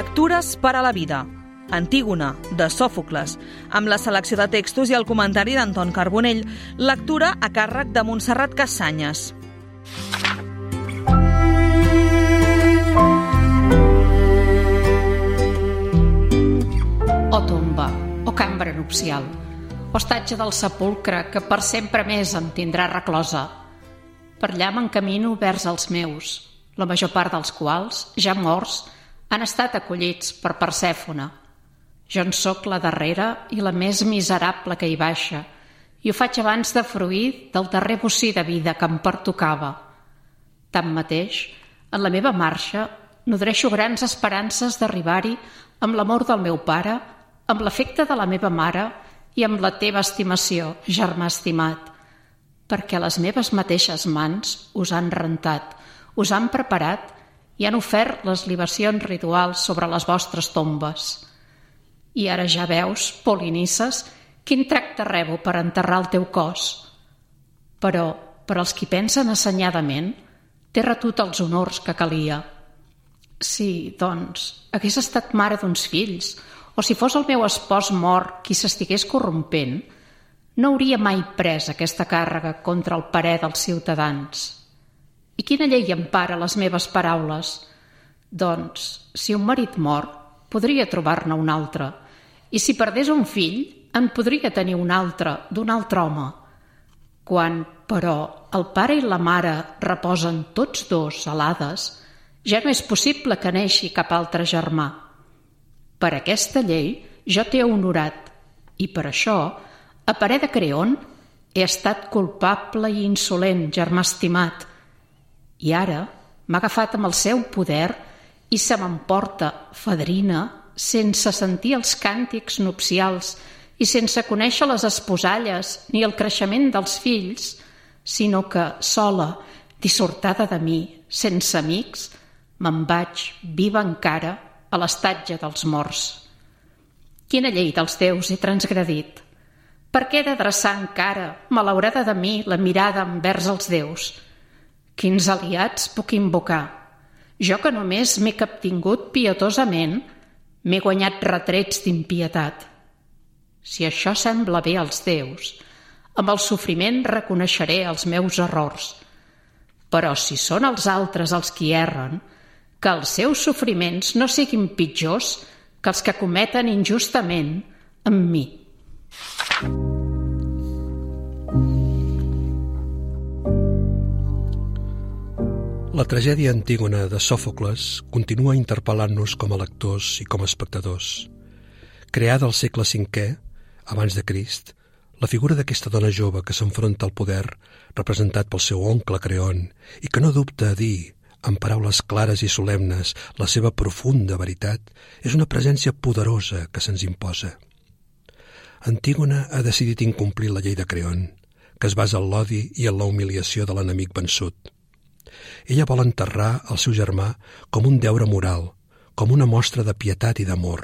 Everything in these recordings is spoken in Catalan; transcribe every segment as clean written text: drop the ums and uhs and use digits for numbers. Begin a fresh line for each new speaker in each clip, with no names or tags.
Lectures per a la vida. Antígona, de Sòfocles, amb la selecció de textos i el comentari d'Anton Carbonell, lectura a càrrec de Montserrat Cassanyes.
O tomba, o cambra nupcial, o estatge del sepulcre que per sempre més em tindrà reclosa. Per allà m'encamino vers els meus, la major part dels quals, ja morts, han estat acollits per Persèfone. Jo en sóc la darrera i la més miserable que hi baixa, i ho faig abans de fruir del darrer bocí de vida que em pertocava. Tanmateix, en la meva marxa, nodreixo grans esperances d'arribar-hi amb l'amor del meu pare, amb l'afecte de la meva mare i amb la teva estimació, germà estimat, perquè les meves mateixes mans us han rentat, us han preparat i han ofert les libacions rituals sobre les vostres tombes. I ara ja veus, Polinices, quin tracte rebo per enterrar el teu cos. Però, per als qui pensen assenyadament, t'he retut els honors que calia. Si, doncs, hagués estat mare d'uns fills, o si fos el meu espòs mort qui s'estigués corrompent, no hauria mai pres aquesta càrrega contra el parer dels ciutadans. I quina llei empara les meves paraules? Doncs, si un marit mor, podria trobar-ne un altre, i si perdés un fill, en podria tenir un altre, d'un altre home. Quan, però, el pare i la mare reposen tots dos a l'Hades, ja no és possible que neixi cap altre germà. Per aquesta llei jo t'he honorat, i per això, a parer de Creont, he estat culpable i insolent, germà estimat, i ara m'ha agafat amb el seu poder i se m'emporta, fadrina, sense sentir els càntics nupcials i sense conèixer les esposalles ni el creixement dels fills, sinó que, sola, dissortada de mi, sense amics, me'n vaig, viva encara, a l'estatge dels morts. Quina llei dels déus he transgredit? Per què he d'adreçar encara, malaurada de mi, la mirada envers els déus? Quins aliats puc invocar? Jo que només m'he captingut pietosament, m'he guanyat retrets d'impietat. Si això sembla bé als déus, amb el sofriment reconeixeré els meus errors. Però si són els altres els qui erren, que els seus sofriments no siguin pitjors que els que cometen injustament amb mi.
La tragèdia Antígona de Sòfocles continua interpel·lant-nos com a lectors i com a espectadors. Creada al segle V, abans de Crist, la figura d'aquesta dona jove que s'enfronta al poder, representat pel seu oncle Creont, i que no dubta a dir, amb paraules clares i solemnes, la seva profunda veritat, és una presència poderosa que se'ns imposa. Antígona ha decidit incomplir la llei de Creont, que es basa en l'odi i en la humiliació de l'enemic vençut. Ella vol enterrar el seu germà com un deure moral, com una mostra de pietat i d'amor.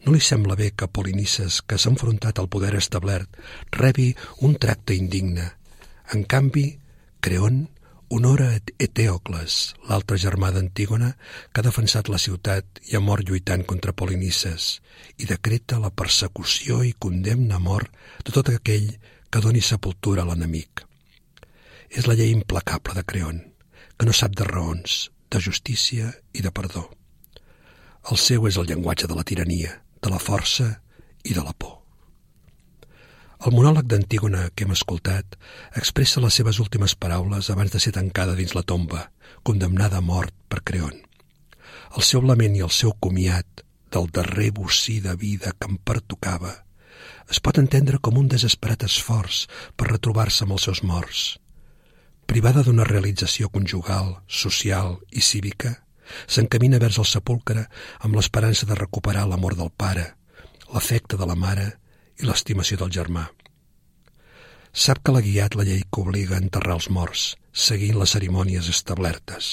No li sembla bé que Polinices, que s'ha enfrontat al poder establert, rebi un tracte indigne. En canvi, Creont honora Eteocles, l'altre germà d'Antígona, que ha defensat la ciutat i ha mort lluitant contra Polinices, i decreta la persecució i condemna a mort de tot aquell que doni sepultura a l'enemic. És la llei implacable de Creont, que no sap de raons, de justícia i de perdó. El seu és el llenguatge de la tirania, de la força i de la por. El monòleg d'Antígona que hem escoltat expressa les seves últimes paraules abans de ser tancada dins la tomba, condemnada a mort per Creont. El seu lament i el seu comiat del darrer bocí de vida que em pertocava es pot entendre com un desesperat esforç per retrobar-se amb els seus morts. Privada d'una realització conjugal, social i cívica, s'encamina vers el sepulcre amb l'esperança de recuperar l'amor del pare, l'afecte de la mare i l'estimació del germà. Sap que l'ha guiat la llei que obliga a enterrar els morts, seguint les cerimònies establertes.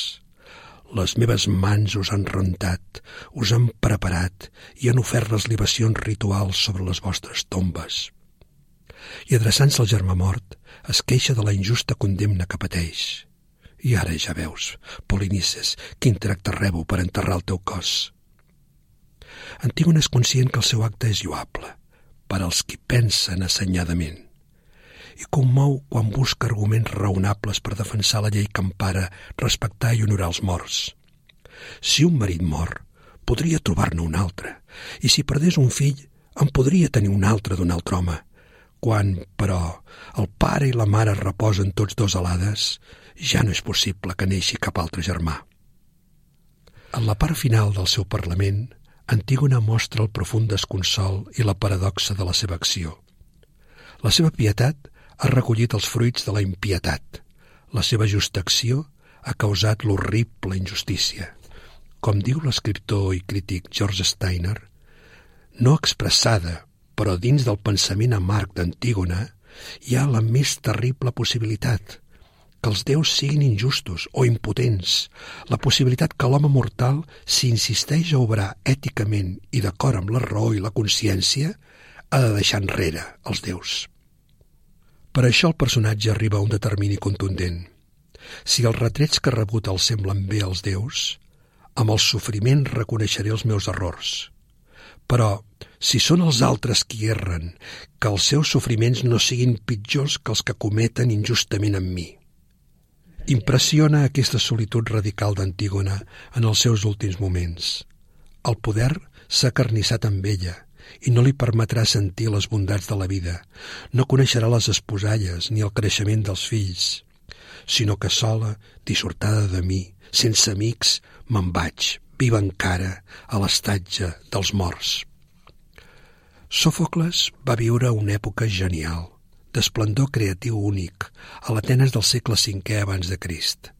Les meves mans us han rentat, us han preparat i han ofert les libacions rituals sobre les vostres tombes. I adreçant-se al germà mort, es queixa de la injusta condemna que pateix. I ara ja veus, Polinices, quin tracte rebo per enterrar el teu cos. Antígona és conscient que el seu acte és lloable, per als qui pensen assenyadament, i commou quan busca arguments raonables per defensar la llei que empara respectar i honorar els morts. Si un marit mor, podria trobar-ne un altre, i si perdés un fill, en podria tenir un altre d'un altre home. Quan, però, el pare i la mare reposen tots dos a l'Hades, ja no és possible que neixi cap altre germà. En la part final del seu parlament, Antígona mostra el profund desconsol i la paradoxa de la seva acció. La seva pietat ha recollit els fruits de la impietat. La seva justa acció ha causat l'horrible injustícia. Com diu l'escriptor i crític George Steiner, no expressada, però dins del pensament amarg d'Antígona hi ha la més terrible possibilitat, que els déus siguin injustos o impotents, la possibilitat que l'home mortal, si insisteix a obrar èticament i d'acord amb la raó i la consciència, ha de deixar enrere els déus. Per això el personatge arriba a un determini contundent. Si els retrets que ha rebut els semblen bé als déus, amb el sofriment reconeixeré els meus errors. Però, si són els altres qui erren, que els seus sofriments no siguin pitjors que els que cometen injustament amb mi. Impressiona aquesta solitud radical d'Antígona en els seus últims moments. El poder s'ha acarnissat amb ella i no li permetrà sentir les bondats de la vida. No coneixerà les esposalles ni el creixement dels fills, sinó que sola, dissortada de mi, sense amics, me'n vaig, viva encara, a l'estatge dels morts. Sòfocles va viure una època genial, d'esplendor creatiu únic, a l'Atenes del segle V abans de Crist.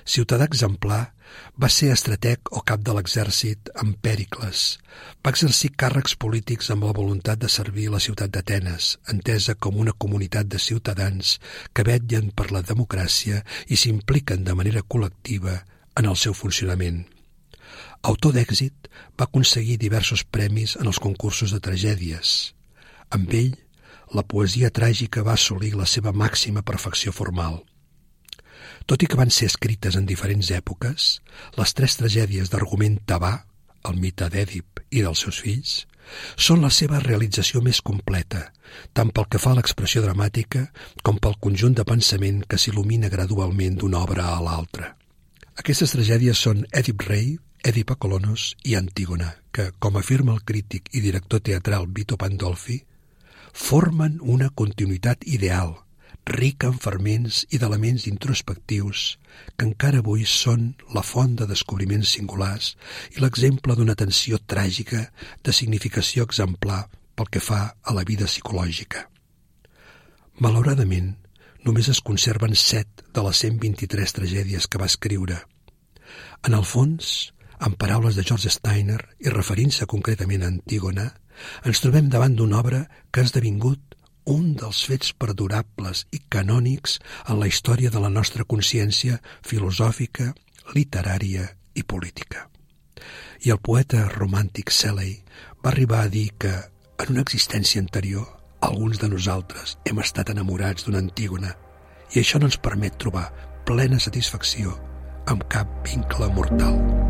Ciutadà exemplar, va ser estrateg o cap de l'exèrcit amb Pèricles. Va exercir càrrecs polítics amb la voluntat de servir la ciutat d'Atenes, entesa com una comunitat de ciutadans que vetllen per la democràcia i s'impliquen de manera col·lectiva en el seu funcionament. Autor d'èxit, va aconseguir diversos premis en els concursos de tragèdies. Amb ell, la poesia tràgica va assolir la seva màxima perfecció formal. Tot i que van ser escrites en diferents èpoques, les 3 tragèdies d'argument tebà, el mite d'Èdip i dels seus fills, són la seva realització més completa, tant pel que fa a l'expressió dramàtica com pel conjunt de pensament que s'il·lumina gradualment d'una obra a l'altra. Aquestes tragèdies són Èdip rei, Èdip a Colonos i Antígona, que, com afirma el crític i director teatral Vito Pandolfi, formen una continuïtat ideal, rica en ferments i d'elements introspectius que encara avui són la font de descobriments singulars i l'exemple d'una tensió tràgica de significació exemplar pel que fa a la vida psicològica. Malauradament, només es conserven 7 de les 123 tragèdies que va escriure. En el fons, en paraules de George Steiner i referint-se concretament a Antígona, ens trobem davant d'una obra que ha esdevingut un dels fets perdurables i canònics en la història de la nostra consciència filosòfica, literària i política. I el poeta romàntic Shelley va arribar a dir que, en una existència anterior, alguns de nosaltres hem estat enamorats d'una Antígona i això no ens permet trobar plena satisfacció amb cap vincle mortal.